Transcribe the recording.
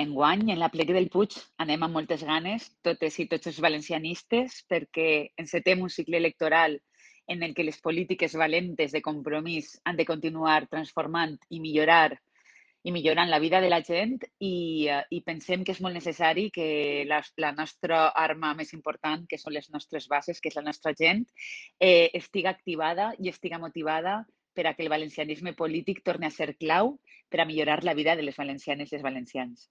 Enguany, en l'Aplec del Puig, anem amb moltes ganes, totes i tots els valencianistes, perquè encetem un cicle electoral en el que les polítiques valentes de compromís han de continuar transformant i millorant la vida de la gent i pensem que és molt necessari que la nostra arma més important, que són les nostres bases, que és la nostra gent, estiga activada i estiga motivada per a que el valencianisme polític torni a ser clau per a millorar la vida de les valencianes i els valencians.